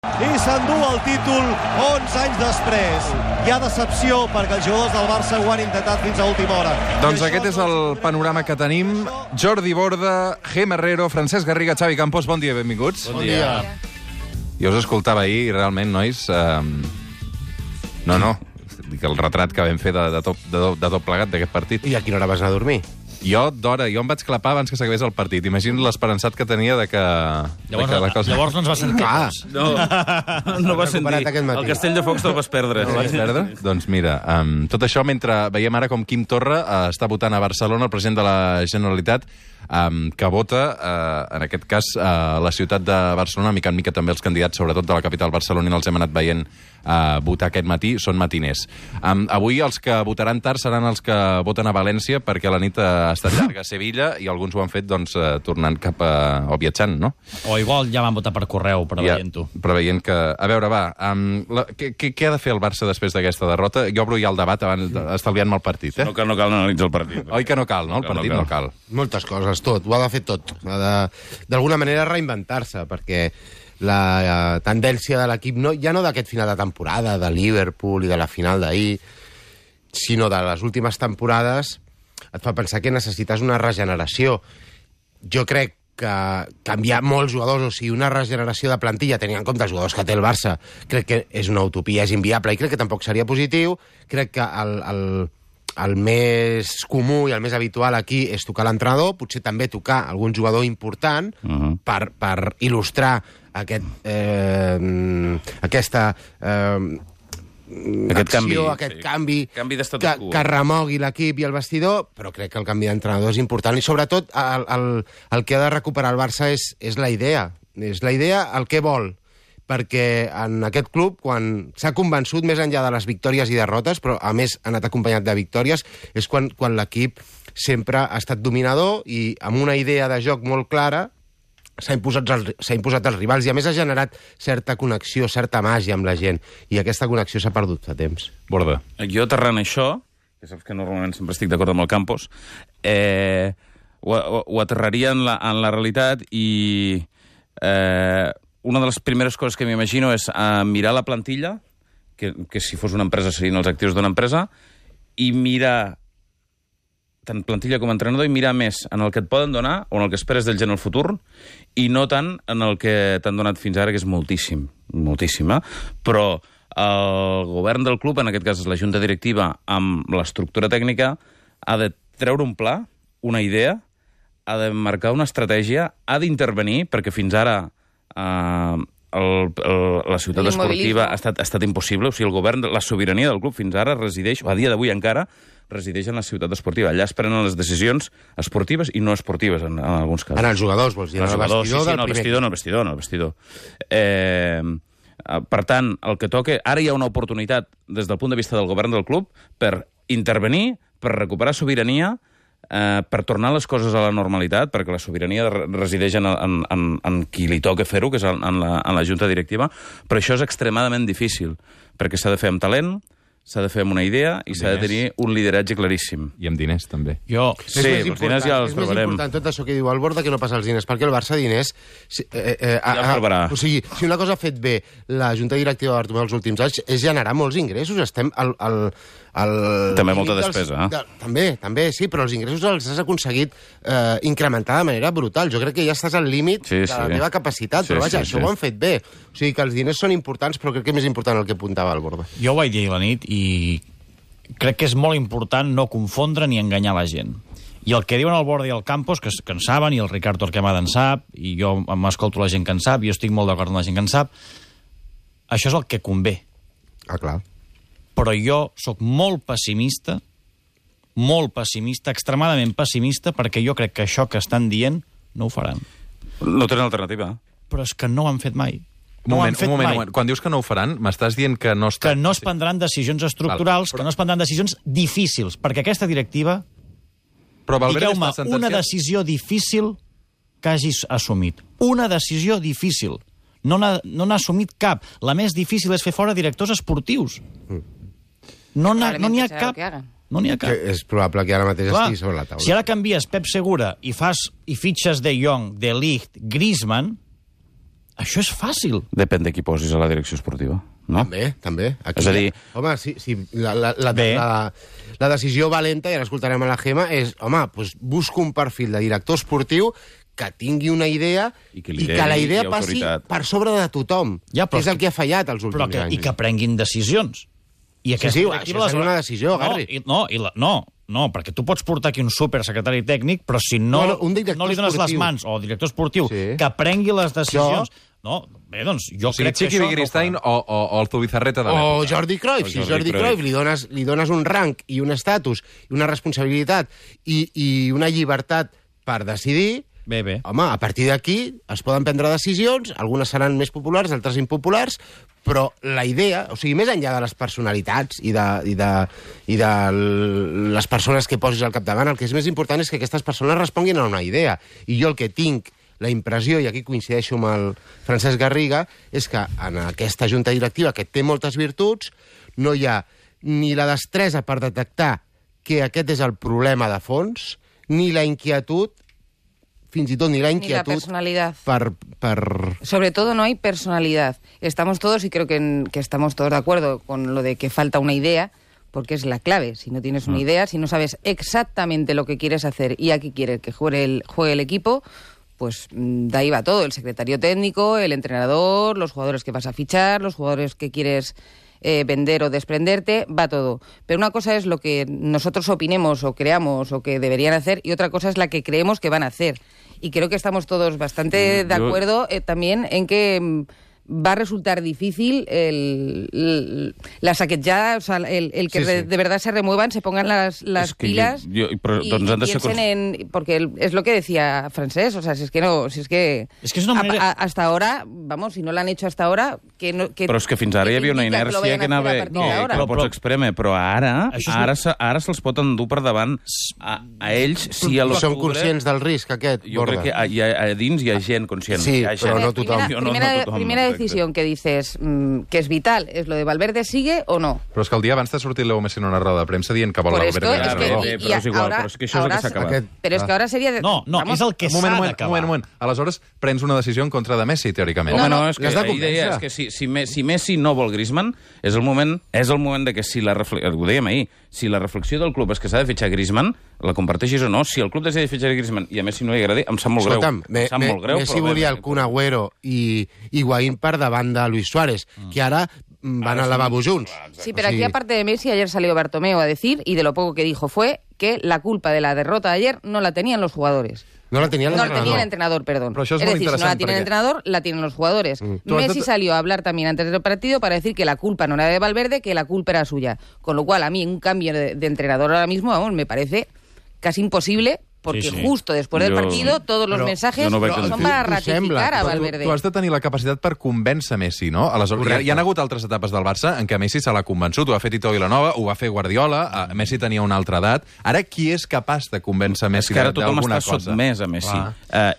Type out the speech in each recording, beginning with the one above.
i s'endú el títol 11 anys després. Hi ha decepció perquè els jugadors del Barça ho han intentat fins a última hora. Doncs aquest és el panorama que tenim. Jordi Borda, Gem Herrero, Francesc Garriga, Xavi Campos, bon dia, benvinguts. Bon dia. Jo us escoltava ahir i realment, nois... No, dic el retrat que vam fer de tot plegat d'aquest partit. I a quina hora vas anar a dormir? Jo em vaig clapar abans que s'acabés el partit. Imagina't l'esperançat que tenia de que... Llavors no ens va sentir. No vas sentir. El Castell de Focs te'l vas perdre. No vaig perdre? Doncs mira, tot això mentre veiem ara com Quim Torra està votant a Barcelona, el president de la Generalitat, que vota, en aquest cas, a la ciutat de Barcelona, mica en mica també els candidats, sobretot de la capital barcelonina, els hem anat veient votar aquest matí, són matiners. Avui els que votaran tard seran els que voten a València, perquè la nit ha estat llarga a Sevilla i alguns ho han fet doncs, tornant cap a... o viatjant, no? O igual ja van votar per correu, preveient-ho. Preveient que... A veure, va, què ha de fer el Barça després d'aquesta derrota? Jo obro ja el debat abans estalviant-me el partit, eh? No cal analitzar el partit. Oi que no cal, no? El partit no cal. Moltes coses, tot. Ho ha de fer tot. Ha d'alguna manera reinventar-se, perquè la tendència de l'equip, ja no d'aquest final de temporada, de Liverpool i de la final d'ahir, sinó de les últimes temporades, et fa pensar que necessites una regeneració. Jo crec que canviar molts jugadors, o sigui, una regeneració de plantilla, tenint en compte els jugadors que té el Barça, crec que és una utopia, és inviable, i crec que tampoc seria positiu. Crec que el més comú i el més habitual aquí és tocar l'entrenador, potser també tocar algun jugador important per il·lustrar aquest canvi que remogui l'equip i el vestidor, però crec que el canvi d'entrenador és important i sobretot el que ha de recuperar el Barça és la idea. És la idea, el que vol, perquè en aquest club, quan s'ha convençut, més enllà de les victòries i derrotes, però a més ha anat acompanyat de victòries, és quan l'equip sempre ha estat dominador i amb una idea de joc molt clara s'ha imposat als rivals i a més ha generat certa connexió, certa màgia amb la gent, i aquesta connexió s'ha perdut fa temps. Borda. Jo aterrant això, que saps que normalment sempre estic d'acord amb el Campos, ho aterraria en la realitat i una de les primeres coses que m'imagino és mirar la plantilla, que si fos una empresa serien els actius d'una empresa, i mirar tant plantilla com entrenador, i mirar més en el que et poden donar o en el que esperes d'ells en el futur i no tant en el que t'han donat fins ara, que és moltíssim, però el govern del club, en aquest cas la junta directiva, amb l'estructura tècnica, ha de treure un pla, una idea, ha de marcar una estratègia, ha d'intervenir, perquè fins ara la ciutat esportiva ha estat impossible. O sigui, el govern, la sobirania del club fins ara resideix, o a dia d'avui encara, resideix en la ciutat esportiva. Allà es prenen les decisions esportives i no esportives, en alguns casos. En els jugadors, vols dir? En el vestidor. Per tant, el que toca... Ara hi ha una oportunitat, des del punt de vista del govern del club, per intervenir, per recuperar sobirania, per tornar les coses a la normalitat, perquè la sobirania resideix en qui li toca fer-ho, que és en la junta directiva, però això és extremadament difícil, perquè s'ha de fer amb talent, s'ha de fer amb una idea i s'ha de tenir un lideratge claríssim. I amb diners, també. Sí, els diners ja els trobarem. És més important tot això que diu el Borda que no passa els diners, perquè el Barça diners... ja els trobarà. O sigui, si una cosa ha fet bé la junta directiva de Bartomeu els últims anys és generar molts ingressos. Estem també molta despesa, També, sí, però els ingressos els has aconseguit incrementar de manera brutal. Jo crec que ja estàs al límit de la teva capacitat, però vaja, això ho han fet bé. O sigui, que els diners són importants, però crec que és més important el que apuntava el Borda. Jo ho vaig dir la nit i crec que és molt important no confondre ni enganyar la gent. I el que diuen el Borda i el Campos, que en saben, i el Ricard Torquemada en sap, i jo m'escolto la gent que en sap, i jo estic molt d'acord amb la gent que en sap, això és el que convé. Clar. Però jo sóc molt pessimista, extremadament pessimista, perquè jo crec que això que estan dient no ho faran. No tenen alternativa. Però és que no ho han fet mai. Un moment. Quan dius que no ho faran, m'estàs dient que no... Que no es prendran decisions estructurals, que no es prendran decisions difícils, perquè aquesta directiva... Però digueu-me una decisió difícil que hagis assumit. Una decisió difícil. No n'ha assumit cap. La més difícil és fer fora directors esportius. No n'hi ha cap. No n'hi ha cap. És probable que ara mateix estigui sobre la taula. Si ara canvies Pep Segura i fitxes De Jong, De Ligt, Griezmann, Això és fàcil. Depèn de qui posis a la direcció esportiva, no? També. Aquí, És a dir... Home, sí, la decisió valenta, i ara escoltarem a la Gemma, és, home, doncs busco un perfil de director esportiu que tingui una idea I que lideri la idea i passi autoritat. per sobre de tothom. Ja, però que és el que ha fallat els últims anys. I que prenguin decisions. I Sí, això seria una decisió, Garri. No, perquè tu pots portar aquí un supersecretari tècnic, però si no, un director no li dones esportiu. les mans, o director esportiu, Sí. que prengui les decisions... No, bé, doncs jo O sigui, crec que Chiqui això... Wittgenstein o el Zubizarreta de O l'època. Jordi Cruyff. Si O Jordi Jordi Cruyff li dones un rang i un estatus i una responsabilitat i una llibertat per decidir, Bé. home, a partir d'aquí es poden prendre decisions, algunes seran més populars, altres impopulars, però la idea, o sigui, més enllà de les personalitats i de les persones que posis al capdavant, el que és més important és que aquestes persones responguin a una idea. I jo el que tinc la impressió, i aquí coincideixo amb el Francesc Garriga, és que en aquesta junta directiva, que té moltes virtuts, no hi ha ni la destresa per detectar que aquest és el problema de fons, ni la inquietud, fins i tot ni la Ni la inquietud personalidad. per... Sobre todo no hay personalidad. Estamos todos, y creo que estamos todos de acuerdo con lo de que falta una idea, porque es la clave. Si no tienes una idea, si no sabes exactamente lo que quieres hacer y a qué quieres que juegue el equipo, pues de ahí va todo. El secretario técnico, el entrenador, los jugadores que vas a fichar, los jugadores que quieres vender o desprenderte, va todo. Pero una cosa es lo que nosotros opinemos o creamos o que deberían hacer, y otra cosa es la que creemos que van a hacer. Y creo que estamos todos bastante de acuerdo también en que va a resultar difícil la saquejada, o sea, el que de verdad se remuevan, se pongan las que pilas però, y doncs han de ser piensen en... Porque es lo que decía Francesc, o sea, si es que es una manera... hasta ahora, vamos, si no lo han hecho hasta ahora, que però és que fins ara hi havia una inèrcia que anava... que la pots exprémer, però ara se'ls pot endur per davant a ells si a Som l'octubre... conscients del risc, aquest, Jo crec que a dins hi ha gent conscient. Sí, hi ha però gent. no tothom. Primera decisión que dices que es vital es lo de Valverde, ¿sigue o no? Però és que el dia abans t'ha sortit Leo Messi en una roda de premsa dient que vol Por Valverde. esto, es que- Claro. y Però és igual, ahora- però és que això és el que s'ha acabat. Pero es que ahora sería... No, vamos, és el que Un s'ha moment. d'acabar. Aleshores, prens una decisió en contra de Messi, teòricament. Home, no, és que l'has de ahir deia convèncer. és que si Messi no vol Griezmann, és el moment de que si ho dèiem ahir, si la reflexió del club és que s'ha de fitxar Griezmann, la comparteixis o no, si el club decideix fitxar Griezmann i a Messi no li agrada, em sap molt greu. Escolta'm, Em sap molt greu, Messi però bé, volia el Kun Agüero i Higuaín per davant de Luis Suárez, que ara van al lavabo junts. Sí, pero aquí, aparte de Messi, ayer salió Bartomeu a decir, y de lo poco que dijo fue que la culpa de la derrota de ayer no la tenían los jugadores. No la tenia No la l'entrenador. tenía el entrenador, perdón. Pero eso es Es muy decir, si no la interesante tiene el porque- entrenador, la tienen los jugadores. Tú has Messi de- salió a hablar también antes del partido para decir que la culpa no era de Valverde, que la culpa era suya. Con lo cual, a mí un cambio de entrenador ahora mismo, vamos, me parece casi imposible, porque Sí, sí. justo después del Jo- partido todos los Però- mensajes jo no veig son el- para T'ho sembla, ratificar a però Valverde. Tu has de tenir la capacitat per convèncer Messi, no? Aleshores, hi ha hagut altres etapes del Barça en què Messi se l'ha convençut. Ho va fer Tito Vilanova, ho va fer Guardiola, Messi tenia una altra edat. Ara, qui és capaç de convèncer És Messi que ara tothom d'alguna està cosa? sotmès a Messi.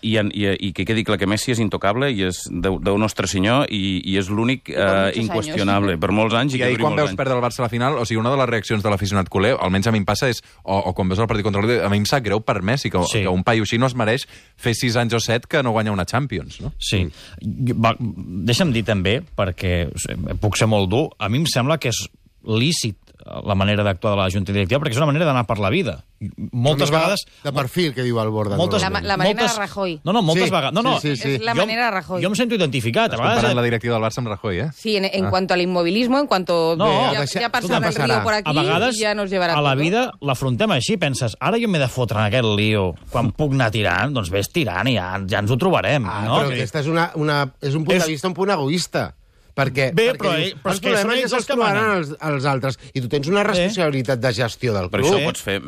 I que quedi clar que Messi és intocable i és Déu nostre senyor i és l'únic muchos inqüestionable per molts anys. I ahir, quan veus anys. perdre el Barça a la final, o sigui, una de les reaccions de l'aficionat culer, almenys a mi em passa, és, o quan veus el partit contra el Madrid, a mi em sap greu per Messi, que un paio així no es mereix fer 6 anys o 7 que no guanya una Champions, no? Sí. Deixa'm dir també, perquè puc ser molt dur, a mi em sembla que és lícit la manera d'actuar de la Junta Directiva, perquè és una manera d'anar per la vida. Moltes vegades... De perfil, que diu el Borda. Moltes, La manera de Rajoy. No, moltes Sí, vegades... No, sí. Es la manera de Rajoy. Jo em sento identificat. A Comparant la vegades... directiva del Barça amb Rajoy, eh? Sí, en cuanto al inmovilismo, en cuanto No, ya escolta, pasará el río por aquí a vegades, y ya nos llevará a la todo. vida l'afrontem així, penses, ara jo m'he de fotre en aquest lío, quan puc anar tirant, doncs ves tirant i ja ens ho trobarem. No? Però aquesta és és un punt de vista un punt egoista. Perquè, Bé, perquè però dius, és els que són problemes ells ja els se'ls que trobaran manen. els altres. I tu tens una responsabilitat de gestió del Però club. això ho pots fer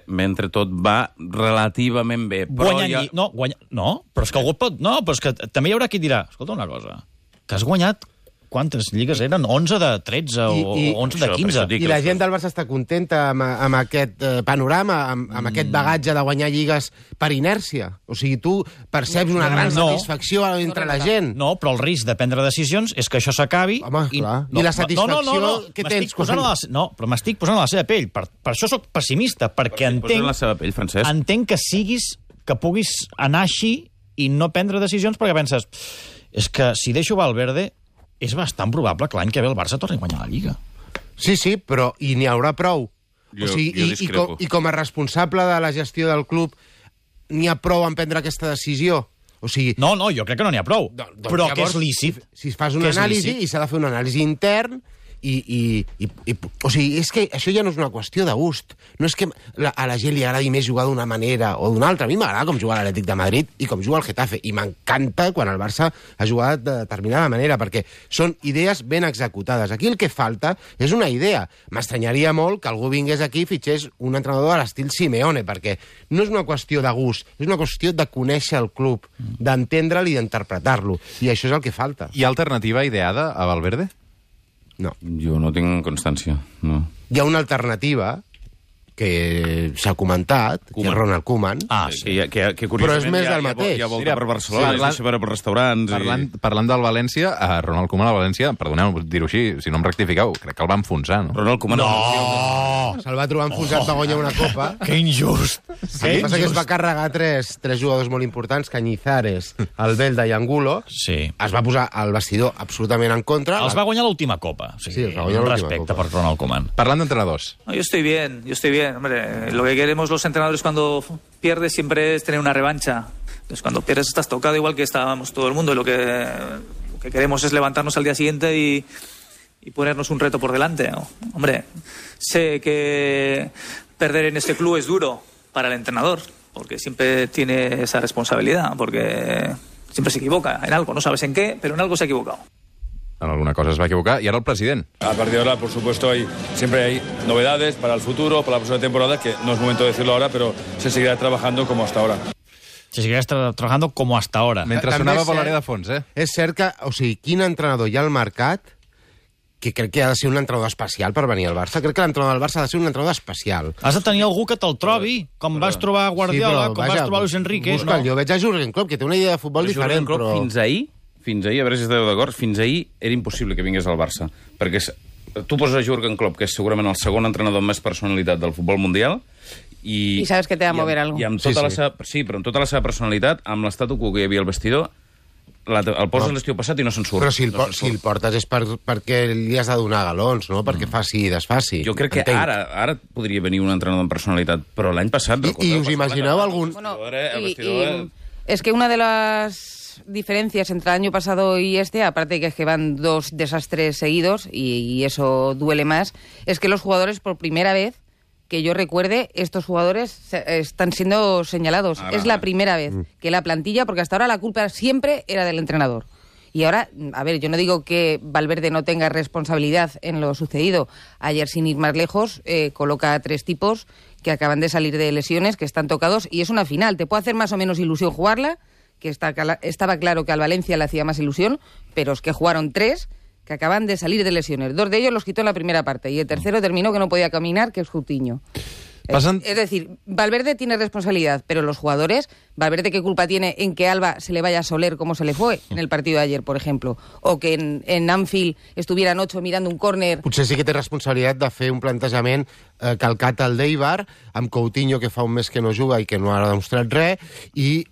mentre tot va relativament bé. Però Guanyant... No, però és que algú pot... No, però és que també hi haurà qui dirà, escolta una cosa, que has guanyat quantes lligues eren? 11 de 13 o 11 de Això, 15. per això dic I la gent del Barça està contenta amb aquest panorama, amb aquest bagatge de guanyar lligues per inèrcia. O sigui, tu perceps una gran No. satisfacció entre la gent. No, però el risc de prendre decisions és que això s'acabi... Home, clar. I la satisfacció que tens quan- No, però m'estic posant a la seva pell. Per això sóc pessimista, perquè Posa't en la seva pell, Francesc. entenc que puguis anar així i no prendre decisions perquè penses... és que si deixo Valverde, és bastant probable que l'any que ve el Barça torni a guanyar la Lliga. Sí, però i n'hi haurà prou. Jo discrepo. I com a responsable de la gestió del club, n'hi ha prou en prendre aquesta decisió? O sigui... No, jo crec que no n'hi ha prou. Però llavors, que és lícit. Si fas una anàlisi, i s'ha de fer una anàlisi intern, o sigui, és que això ja no és una qüestió de gust. No és que a la gent li agradi més jugar d'una manera o d'una altra. A mi m'agrada com juga l'Atlètic de Madrid i com juga el Getafe. I m'encanta quan el Barça ha jugat de determinada manera, perquè són idees ben executades. Aquí el que falta és una idea. M'estranyaria molt que algú vingués aquí i fitxés un entrenador a l'estil Simeone, perquè no és una qüestió de gust, és una qüestió de conèixer el club, d'entendre'l i d'interpretar-lo. I això és el que falta. Hi ha alternativa ideada a Valverde? No. Jo no tinc constància, no. Hi ha una alternativa que s'ha comentat, que és Ronald Koeman. Sí. Que curiosament però és més del mateix. Ja volta per Barcelona, es deixa veure per restaurants... Parlant del València, Ronald Koeman al València, perdoneu dir-ho així, si no em rectifiqueu, crec que el va enfonsar, no? Ronald Koeman... No! Se'l va trobar enfonsat per guanyar una copa. Que injust! El que passa que es va carregar tres jugadors molt importants, Cañizares, Albelda i Angulo. Sí. Es va posar al vestidor absolutament en contra. Els va guanyar l'última copa. Sí, els va guanyar l'última respecte copa. per Ronald Koeman. Parlant d'entrenadors. No, yo estoy bien. Hombre, lo que queremos los entrenadores cuando pierdes siempre es tener una revancha. Entonces, cuando pierdes estás tocado, igual que estábamos todo el mundo. Y lo que queremos es levantarnos al día siguiente y ponernos un reto por delante, ¿no? Hombre, sé que perder en este club es duro para el entrenador, porque siempre tiene esa responsabilidad, porque siempre se equivoca en algo. No sabes en qué, pero en algo se ha equivocado. En alguna cosa es va equivocar. Y ahora el president. A partir de ahora, por supuesto, siempre hay novedades para el futuro, para la próxima temporada, que no es momento de decirlo ahora, pero se seguirá trabajando como hasta ahora. Se seguirà trabajando como hasta ahora. Mentre sonava Valeré de fons, És cert que, o sigui, quin entrenador hi ha al mercat que crec que ha de ser un entrenador especial per venir al Barça. Crec que l'entrenador del Barça ha de ser un entrenador especial. Has de tenir algú que te'l trobi, com vas trobar Guardiola, com vas trobar Luis Enrique. Jo veig a Jürgen Klopp, que té una idea de futbol diferent, però... Fins ahir, a veure si esteu d'acord, fins ahir era impossible que vingués al Barça. Perquè tu poses a Jürgen Klopp, que és segurament el segon entrenador amb més personalitat del futbol mundial, i sabes que te va a mover algo. I amb tota però amb tota la seva personalitat, amb l'estatu quo que hi havia al vestidor, el poses l'estiu passat i no se'n surt. Però si el portes és perquè li has de donar galons, no? Perquè faci i desfaci. Jo crec que ara podria venir un entrenador amb personalitat, però l'any passat... I us imagineu algun... Bueno, es que una de las diferencias entre el año pasado y este, aparte de que van dos desastres seguidos y eso duele más, es que los jugadores, por primera vez que yo recuerde, estos jugadores están siendo señalados. Es la primera vez que la plantilla, porque hasta ahora la culpa siempre era del entrenador. Y ahora, a ver, yo no digo que Valverde no tenga responsabilidad en lo sucedido. Ayer, sin ir más lejos, coloca a 3 tipos que acaban de salir de lesiones, que están tocados, y es una final. Te puede hacer más o menos ilusión jugarla, que estaba claro que al Valencia le hacía más ilusión, pero es que jugaron 3 que acaban de salir de lesiones. 2 de ellos los quitó en la primera parte, y el tercero terminó que no podía caminar, que es Coutinho. Es decir, Valverde tiene responsabilidad, pero los jugadores, Valverde qué culpa tiene en que Alba se le vaya a Soler como se le fue en el partido de ayer, por ejemplo, o que en Anfield estuvieran 8 mirando un córner. Potser sí que té responsabilitat de fer un plantejament calcat al d'Eibar, amb Coutinho, que fa un mes que no juga i que no ha demostrat res, i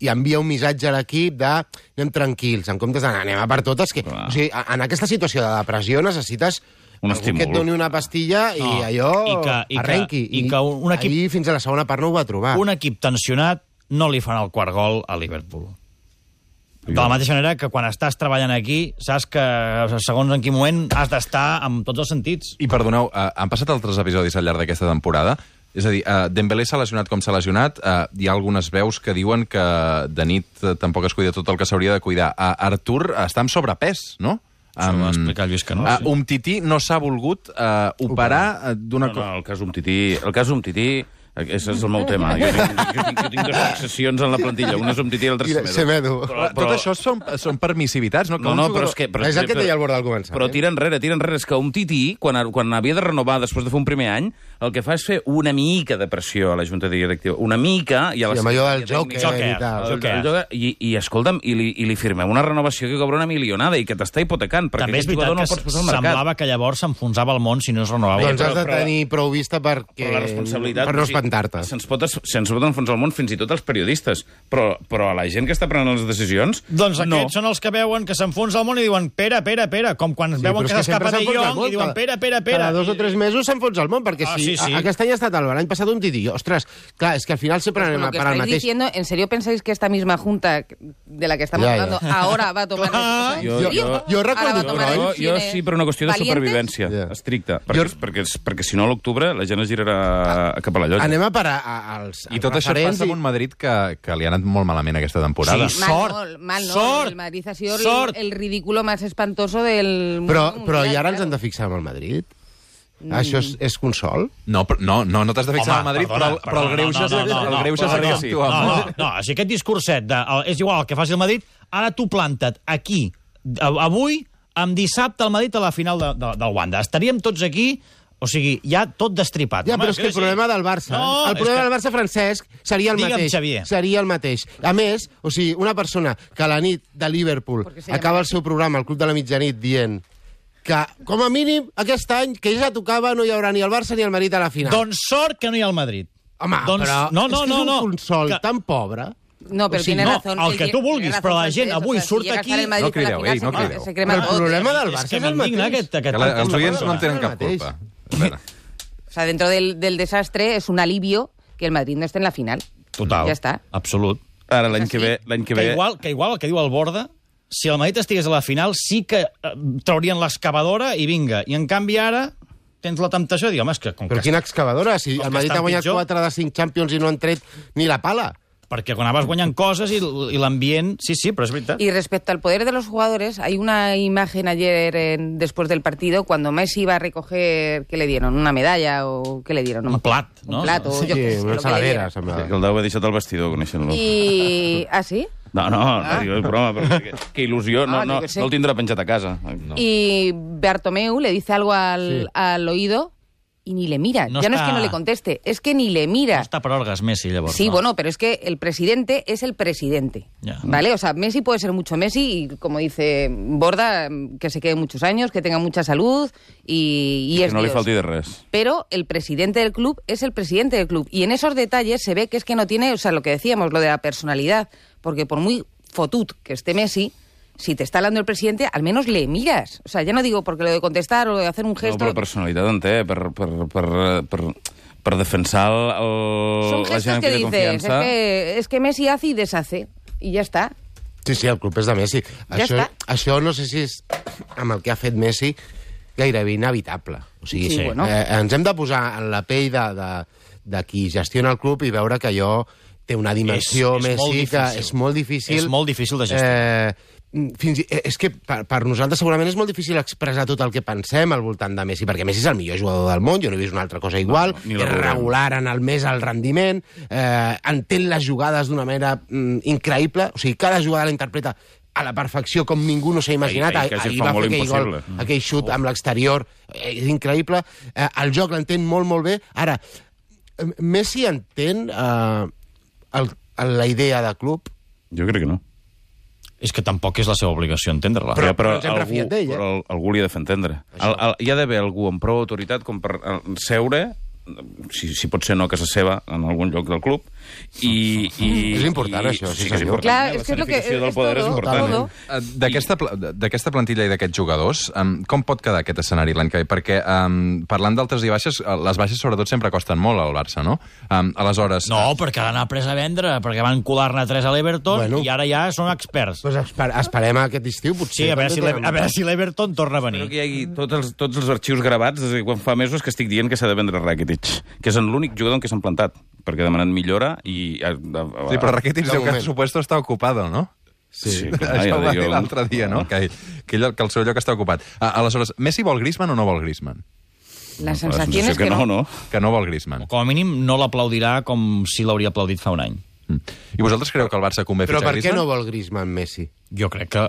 envia un missatge a l'equip de anem tranquils, en comptes d'anar anem a per totes, que, o sigui, en aquesta situació de depressió necessites un algú que et doni una pastilla i allò arrenqui. Ahir fins a la segona part no ho va trobar. Un equip tensionat no li fan el quart gol a Liverpool. De la mateixa manera que quan estàs treballant aquí, saps que segons en quin moment has d'estar amb tots els sentits. I perdoneu, han passat altres episodis al llarg d'aquesta temporada? És a dir, Dembélé s'ha lesionat com s'ha lesionat, hi ha algunes veus que diuen que de nit tampoc es cuida tot el que s'hauria de cuidar. Artur està amb sobrepès, no? Això ho va explicar el Lluís Canós. Umtiti no s'ha volgut operar d'una cosa... No, el cas Umtiti... Aquest és el meu tema. Jo tinc 2 fixacions en la plantilla. Una és Umtiti i l'altra és Semedo. Tot això són permissivitats, no? No, però és que... És el que deia al bord del començament. Però tira enrere. És que Umtiti, quan havia de renovar després de fer un primer any, el que fa és fer una mica de pressió a la junta directiva. Una mica... I amb allò del Joker. I escolta'm, i li firmem una renovació que cobra una milionada i que t'està hipotecant, perquè aquest jugador no el pots posar al mercat. Semblava que llavors s'enfonsava el món si no es renovava. Doncs has de tenir prou vista per no espantar espantar-te. Se'ns pot enfonsar el món, fins i tot els periodistes. Però a la gent que està prenent les decisions... Doncs aquests són els que veuen que s'enfonsa el món i diuen pera, com quan veuen que s'escapa de Jong i diuen pera. Cada 2 o 3 mesos s'enfonsa el món, perquè sí. aquest any ha estat l'any passat un tití. Ostres, clar, és que al final sempre anem a parar el mateix. Diciendo, ¿en serio pensáis que esta misma junta de la que estamos hablando ahora va a tomar decisiones? Jo recordo... Jo sí, per una qüestió de supervivència estricta. Perquè si no, a l'octubre la gent es girarà cap a la llotja. Anem a parar als I tot això passa amb un Madrid que li ha anat molt malament aquesta temporada. Sí, El Madrid ha sido el ridículo más espantoso del mundo. Però i ara ens hem de fixar en el Madrid? Això és consol? No t'has de fixar en el Madrid, però el greuge s'actua molt. No, així aquest discurset és igual el que faci el Madrid, ara tu planta't aquí, avui, amb dissabte al Madrid a la final del Wanda. Estaríem tots aquí, o sigui, ja tot destripat. Ja, però és que el problema del Barça... El problema del Barça, Francesc, seria el mateix. Xavier. Seria el mateix. A més, o sigui, una persona que a la nit de Liverpool acaba el seu programa, el Club de la Mitjanit, dient que, com a mínim, aquest any, que ja tocava, no hi haurà ni el Barça ni el Madrid a la final. Doncs sort que no hi ha el Madrid. Home, però és que és un consol tan pobre... No, però tiene razón. El que tu vulguis, però la gent avui surt aquí... No crideu, no crideu. El problema del Barça és el mateix. Els oients no en tenen cap culpa. O sea, dentro del desastre es un alivio que el Madrid no esté en la final. Total. Ja està. Absolut. Ara, l'any que ve... Que igual el que diu el Borda, si el Madrid estigués a la final, sí que traurien l'excavadora i vinga. I en canvi ara tens la temptació de dir, home, és que... Però quina excavadora? Si el Madrid ha guanyat 4 de 5 Champions i no han tret ni la pala. Perquè quan anaves guanyant coses i l'ambient... Sí, però és veritat. Y respecto al poder de los jugadores, hay una imagen ayer después del partido cuando Messi iba a recoger, ¿qué le dieron? ¿Una medalla o qué le dieron? Un plat, no? Un plat o yo qué sé. Una saladera, semblava. Que el deu haver deixat el vestidor, coneixent-lo. ¿Ah, sí? No, és broma, però que il·lusió, no el tindrà penjat a casa. No. Y Bartomeu le dice algo al oído y ni le mira. No ya no es que no le conteste, es que ni le mira. No està per orgues Messi, llavors. Sí, bueno, pero es que el presidente es el presidente, ¿vale? O sea, Messi puede ser mucho Messi y, como dice Borda, que se quede muchos años, que tenga mucha salud y es que no Dios. li falti de res. Pero el presidente del club es el presidente del club. Y en esos detalles se ve que es que no tiene, o sea, lo que decíamos, lo de la personalidad. Porque por muy fotut que esté Messi, si te está hablando el presidente, al menos le miras. O sea, ya no digo porque lo de contestar o de hacer un gesto... No, però personalitat en té, per defensar Son la gent que de confiança. Es que Messi hace y deshace, y ya está. Sí, el club és de Messi. Això no sé si és amb el que ha fet Messi gairebé inevitable. O sigui, bueno. Ens hem de posar en la pell de qui gestiona el club i veure que allò té una dimensió Messi que és molt difícil. És molt difícil de gestionar. És que per nosaltres segurament és molt difícil expressar tot el que pensem al voltant de Messi, perquè Messi és el millor jugador del món, jo no he vist una altra cosa igual, és regular en el més alt rendiment, entén les jugades d'una manera increïble, o sigui, cada jugada la interpreta a la perfecció com ningú no s'ha imaginat. Ahir va fer aquell xut amb l'exterior, és increïble. El joc l'entén molt, molt bé. Ara, Messi entén la idea de club? Jo crec que no. És que tampoc és la seva obligació entendre-la. Però ens hem refiat d'ell, Però algú li ha de fer entendre. Hi ha d'haver algú amb prou autoritat com per seure, si pot ser no a casa seva, en algun lloc del club, és important, això. Sí que és important. Clar, és que és lo que... del poder és important. D'aquesta plantilla i d'aquests jugadors, com pot quedar aquest escenari l'any que ve? Perquè, parlant d'altes i baixes, les baixes sobretot sempre costen molt al Barça, no? Aleshores... No, perquè l'han après a vendre, perquè van colar-ne 3 a l'Everton i ara ja són experts. Doncs esperem aquest estiu, potser. Sí, a veure si l'Everton torna a venir. Espero que hi hagi tots els arxius gravats des de quan fa mesos que estic dient que s'ha de vendre Rakitic, que és l'únic jugador en què s'han plantat, perquè demanen millora i... Sí, però Rakitic diu que el supuesto està ocupado, no? Sí. Això ho va dir l'altre dia, no? Que el seu lloc està ocupat. Aleshores, Messi vol Griezmann o no vol Griezmann? La sensació és que no. Que no vol Griezmann. Com a mínim no l'aplaudirà com si l'hauria aplaudit fa un any. I vosaltres creu que el Barça convé Però fitxar per Griezmann? què no vol Griezmann Messi? Jo crec que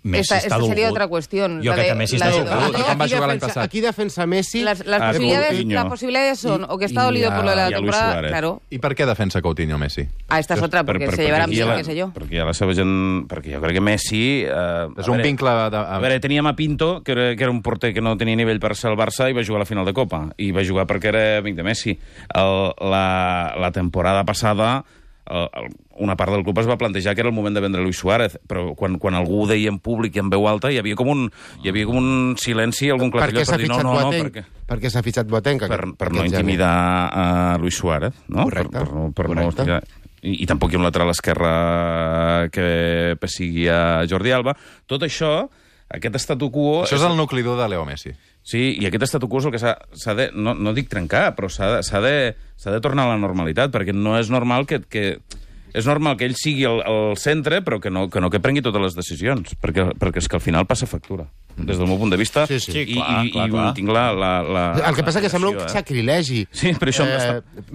Messi està dolgut. sería otra cuestión. Jo crec que Messi està dolgut. Com va jugar l'any passat? Aquí defensa Messi... Las Coutinho. posibilidades son o que está dolido por lo de la y a Luis temporada, Suárez. claro. I per què defensa Coutinho Messi? Esta es otra, porque se llevarán bien, qué sé yo. Perquè hi ha la seva gent... Perquè jo crec que Messi... És un vincle... A veure, teníem a Pinto, que era un porter que no tenia nivell per ser al Barça, i va jugar a la final de Copa. I va jugar perquè era amic de Messi. La temporada passada... una part del club es va plantejar que era el moment de vendre Luis Suárez, però quan algú ho deia en públic i en veu alta hi havia com un silenci, algun clatelló per dir no, perquè s'ha fitxat Boateng. Per no intimidar a Luis Suárez, no? Correcte. Per no tirar... I tampoc hi ha un lateral esquerre que pessigui a Jordi Alba. Tot això, aquest statu quo... Això és el nucli dur de Leo Messi. Sí, i aquest statu quo és el que s'ha de... No dic trencar, però s'ha de tornar a la normalitat, perquè no és normal que és normal que ell sigui el centre, però que no prengui totes les decisions, perquè és que al final passa factura, des del meu punt de vista. Sí, sí. I tinc la... El que passa que sembla un sacrilegi per això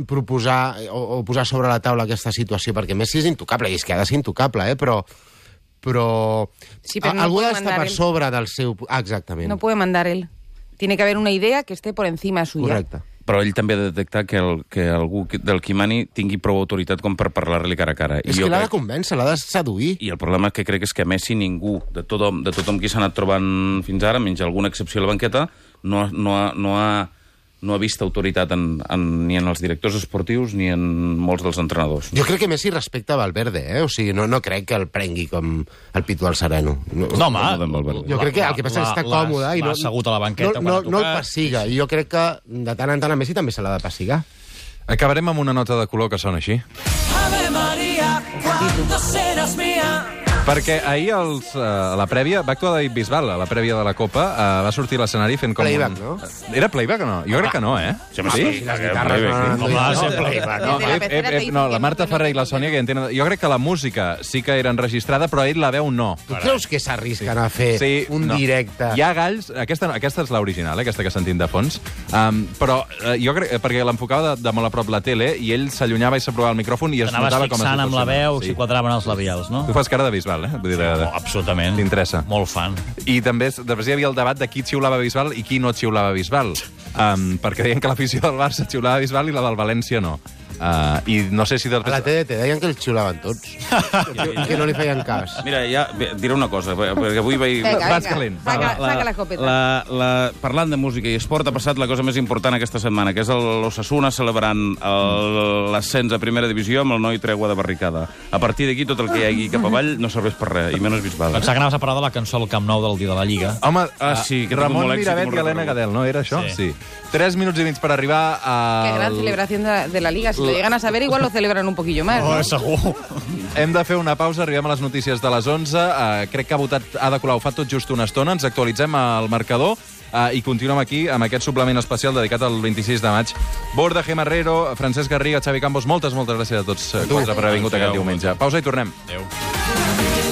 proposar o posar sobre la taula aquesta situació, perquè Messi és intocable, i és que ha de ser intocable, però Sí, pero no algú puede ha d'estar mandar per él. sobre del seu... Exactament. No puede mandar él. Tiene que haber una idea que esté por encima suya. Correcte. Però ell també ha de detectar que algú del qui mani tingui prou autoritat com per parlar-li cara a cara. És que l'ha de convèncer, l'ha de seduir. I el problema que crec és que Messi ningú, de tothom qui s'ha anat trobant fins ara, menys alguna excepció a la banqueta, no ha vist autoritat ni en els directors esportius ni en molts dels entrenadors. Jo crec que Messi respecta Valverde, O sigui, no crec que el prengui com el Pitu al sereno. No, home. Jo crec que el que passa és que està còmode i l'ha assegut a la banqueta quan ha no el tocat. passiga. I jo crec que de tant en tant a Messi també se l'ha de passigar. Acabarem amb una nota de color que sona així. Ave María, cuando serás mía. Perquè ahir a la prèvia va actuar David Bisbal, a la prèvia de la Copa, va sortir a l'escenari fent com... Playback, no? Era playback o no? Jo crec que no, Sí, les guitarres no... Home, ha de ser playback. No, la Marta Ferrer i la Sònia, que entenen... Jo crec que la música sí que era enregistrada, però ell la veu no. Tu creus que s'arrisquen a fer un directe? Hi ha galls... Aquesta és l'original, aquesta que sentim de fons. Però jo crec... Perquè l'enfocava de molt a prop la tele i ell s'allunyava i s'aprovava el micròfon i es Anaves notava com es fixant amb la veu, sí. si quadraven els labials, no? Tu fas cara de Bisbal, Vull dir, Absolutament. t'interessa. Molt fan. I també després hi havia el debat de qui xiulava Bisbal i qui no xiulava Bisbal. Perquè deien que l'afició del Barça xiulava Bisbal i la del València no. I no sé si... A la TDT deien que els xiulaven tots. que no li feien cas. Mira, ja diré una cosa, perquè avui vaig... Vas calent. Saca la escopeta. Parlant de música i esport, ha passat la cosa més important aquesta setmana, que és l'Osasuna celebrant l'ascens a primera divisió amb el noi tregua de barricada. A partir d'aquí, tot el que hi hagi cap avall no serveix per res, i menys Bisbal. Pensava que anaves a parlar de la cançó al Camp Nou del dia de la Lliga. Home, sí, que Ramon molt èxit, Miravet molt i Helena recorregut. Gadel, no? Era això? Sí. 3 minuts i mig per arribar a... Qué gran celebración de la Liga. Si lo llegan a saber, igual lo celebran un poquillo más, ¿no? Segur. Hem de fer una pausa, arribem a les notícies de les 11. Crec que ha votat Ada Colau fa tot just una estona. Ens actualitzem al marcador i continuem aquí amb aquest suplement especial dedicat al 26 de maig. Borda, Gemma Herrero, Francesc Garriga, Xavi Campos, moltes gràcies a tots per haver vingut aquest diumenge. Pausa i tornem. Adéu.